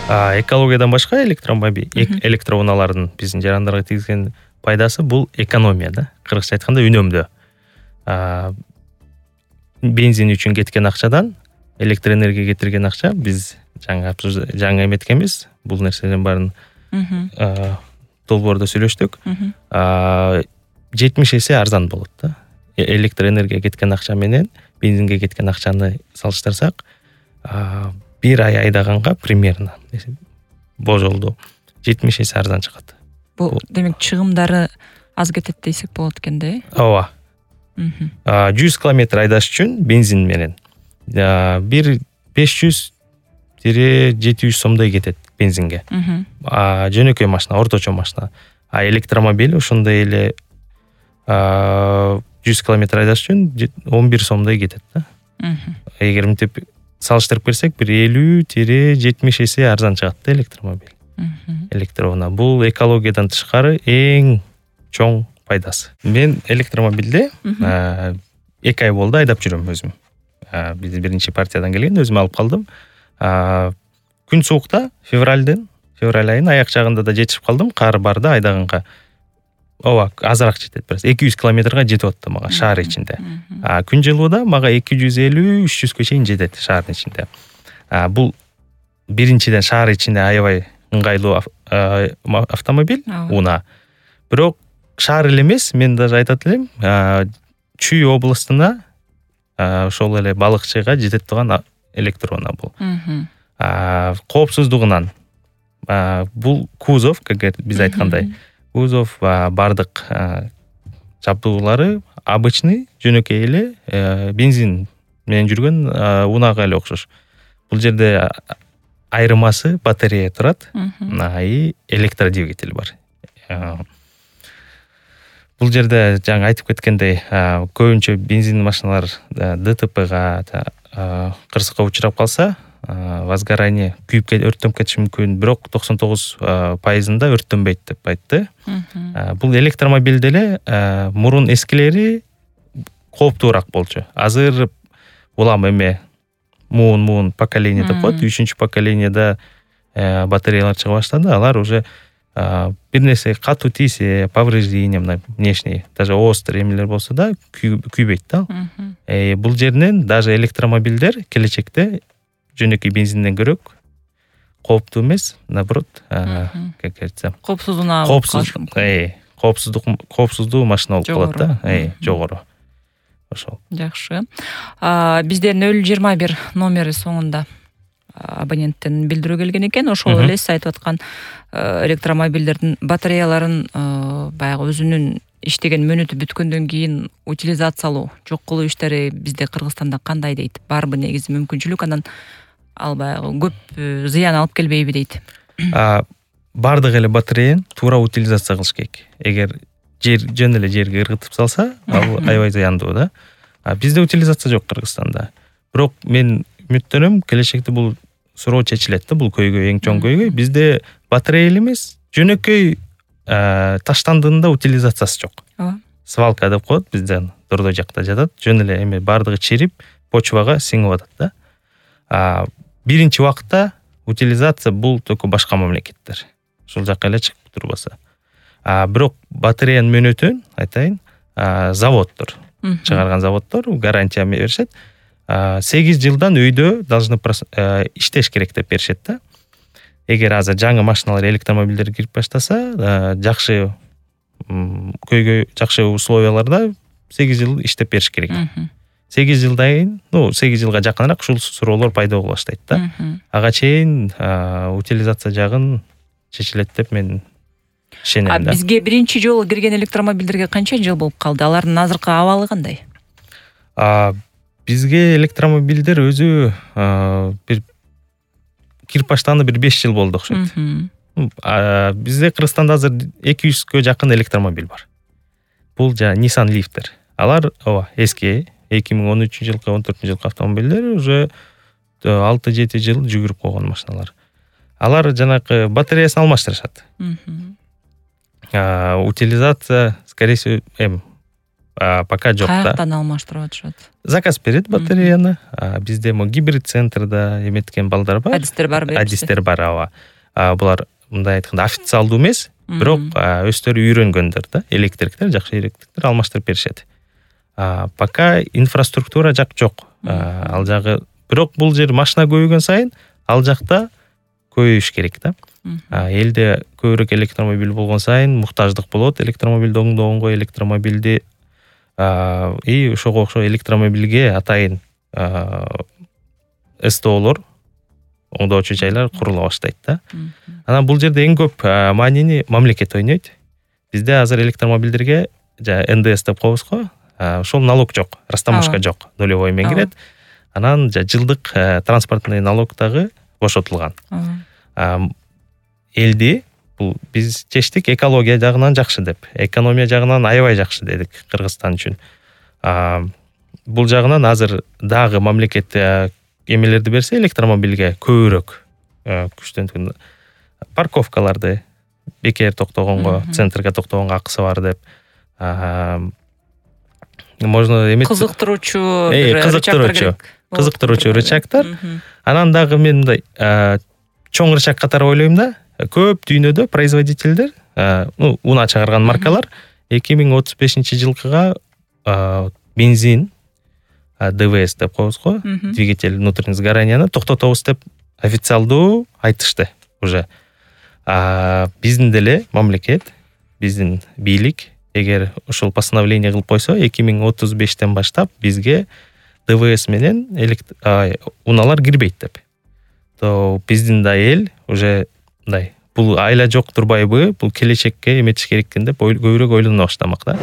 Экологиядан башка электроунаалардын биздин жарандарга тийгизген пайдасы бул экономия да. Кыргызча айтканда үнөмдөө. Бензин үчүн кеткен акчадан электр энергия кетирген акча биз жаңы эметкенбиз. Бул нерселердин баарын долбоордо сүйлөштүк. 70 эсе арзан болот да. Электр энергия кеткен акча менен бензинге кеткен акчаны салыштырсак, бир ай айдаганга примерно божолду 70 эсе арзан чыгат. Бул демек чыгымдары аз кетет десек болот экен да. Ооба. 100 километр айдаш үчүн бензин менен бир 500-700 сомдой кетет бензинге. Жөнөкөй машина, орточо машина. Электромобиль ошондой эле 100 километр айдаш үчүн 11 сомдой кетет да. Эгер мынтип салыштырып берсек, бир 50-70 эсе арзан чыгат да электромобиль. Электроунаа бул экологиядан тышкары эң чоң пайдасы. Мен электромобилде 2 ай болду айдап жүрөм өзүм. Биз биринчи партиядан келген, өзүм алып калдым. Күн суукта, февраль айынын аяк жагында да жетишип калдым. Кар бар да айдаганга. Ооба, азыраак жетет бираз. 200 километрге жетип атты мага шаар ичинде. Күн жылууда мага 250-300 чейин жетет шаардын ичинде. Бул биринчиден шаар ичинде аябай ыңгайлуу автомобиль, унаа. Бирок шаар эле эмес, мен даже айтат элем, Чүй областына ошол эле балыкчыга жетет турган электроунаа бул. Коопсуздугунан бул кузов, как биз айткандай, кузов бардык жабдуулары обычный, жөнөкөй эле бензин менен жүргөн унаага эле окшош. Бул жерде айырмасы батарея турат, и электродвигатель бар. Бул жерде жаңы айтып кеткендей, көбүнчө бензин машиналар ДТПга, кырсыкка учурап калса, возгорание, күйүп өрттөнүп кетиши мүмкүн, бирок 99% өрттөнбөйт деп айтты. Бул электромобилде эле мурун эскилери кооптуураак болчу. Азыр улам эме муун поколение деп коет, 3-чү поколениеда батареялар чыга баштады. Алар уже бир нерсе катуу тийсе, повреждение внешний, даже острый эмелер болсо да күйбөйт да. Бул жеринен даже электромобилдер келечекте жөнөкөй бензинден көрөк кооптуу эмес, наоборот, как говорится, коопсуздуу машина болуп калат да, жогору. Ошол. Жакшы. Бизде 021 номери соңунда абоненттен билдирүү келген экен. Ошол эле сиз айтып аткан электромобилдердин батареяларын баягы өзүнүн иштеген мөөнөтү бүткөндөн кийин утилизациялоо, жок кылуу иштери бизде Кыргызстанда кандай дейт? Барбы негизи мүмкүнчүлүк, анан ал баягы көп зыян алып келбейби дейт? Бардык эле батареяны туура утилизация кылыш керек. Эгер жөн эле жерге ыргытып салса, ал аябай зыяндуу да. Бизде утилизация жок Кыргызстанда. Бирок мен үмүттөнөм, келечекте бул суроо чечилет да, бул көйгөй, эң чоң көйгөй. Бизде батарея эмес, жөнөкөй таштандыгында утилизациясы жок. Свалка деп коет, бизден Дордой жакта жатат. Жөн эле эме бардыгы чирип, почвага сиңип атат да. Биринчи убакта утилизация бул только башка мамлекеттер. Ошол жакка эле чыгып турбаса. Бирок батареянын мөөнөтүн айтайын, заводдор, чыгарган заводдор гарантия беришет. 8 жылдан өйдө должны иштеш керек деп беришет да. Эгер азыр жаңы машиналар, электромобилдер кирип баштаса, жакшы условияларда 8 жыл иштеп бериш керек. 8 жылдан кийин, 8 жылга жакыныраак ушул суроолор пайда боло баштайт да. Ага чейин утилизация жагын чечилет деп мен ишенем да. Бизге биринчи жолу кирген электромобилдерге канча жыл болуп калды? Алардын азыркы абалы кандай? Бизге электромобилдер өзү бир кирип баштаганда бир 5 жыл болду окшойт. Бизде Кыргызстанда азыр 200гө жакын электромобиль бар. Бул Nissan Leaf'тер. Алар эски 2013-жылкы, 14-жылкы автомобилдер уже 6-7 жыл жүгүрүп койгон машиналар. Алар жанакы батареясын алмаштырышат. Утилизация, скорее всего, пока жок да. Каяктан алмаштырып атышат? Заказ берет батареяны. Бизде гибрид центрда эметкен балдар бар. Адистер бар берипсиз? Адистер бар, ооба. Булар мындай айтканда официалдуу эмес, бирок өздөрү үйрөнгөндөр да, электриктер, жакшы электриктер алмаштырып беришет. Пока инфраструктура жак жок. Ал жагы, бирок бул жер машина көбөйгөн сайын ал жакта көбөйүш керек да. Элде көбүрөөк электромобиль болгон сайын муктаждык болот. Электромобилди оңдогонго, электромобилди ошого окшоо электромобилге атайын СТОлор, оңдоочу жайлар курула баштайт да. Анан бул жерде эң көп маанини мамлекет ойнойт. Бизде азыр электромобилдерге НДС деп коебуз го. Ошол налог жок, растаможка жок, нулевой менен кирет. Анан жылдык транспортный налог дагы бошотулган. Элди бул биз чечтик экология жагынан жакшы деп, экономия жагынан аябай жакшы дедик Кыргызстан үчүн. Бул жагынан азыр дагы мамлекет эмелерди берсе электромобилге көбүрөөк күчтөнтүн парковкаларды бекер токтогонго, центрге токтогонго акысы бар деп, можно эмес кызыктыруучу рычагтар. Анан дагы мен мындай чоң рычаг катары ойлойм да, көп дүйнөдө производительдер, унаа чыгарган маркалар 2035-жылкыга бензин, ДВС деп коебуз го, двигатель внутреннего сгорания токтотобуз деп официалдуу айтышты уже. Биздин деле мамлекет, биздин бийлик эгер ошол постановление кылып койсо, 2035-тен баштап бизге ДВС менен унаалар кирбейт деп. То биздин да эл уже мындай, бул айла жок турбайбы, бул келечекке эметиш керек экен деп көбүрөөк ойлоно баштамак да.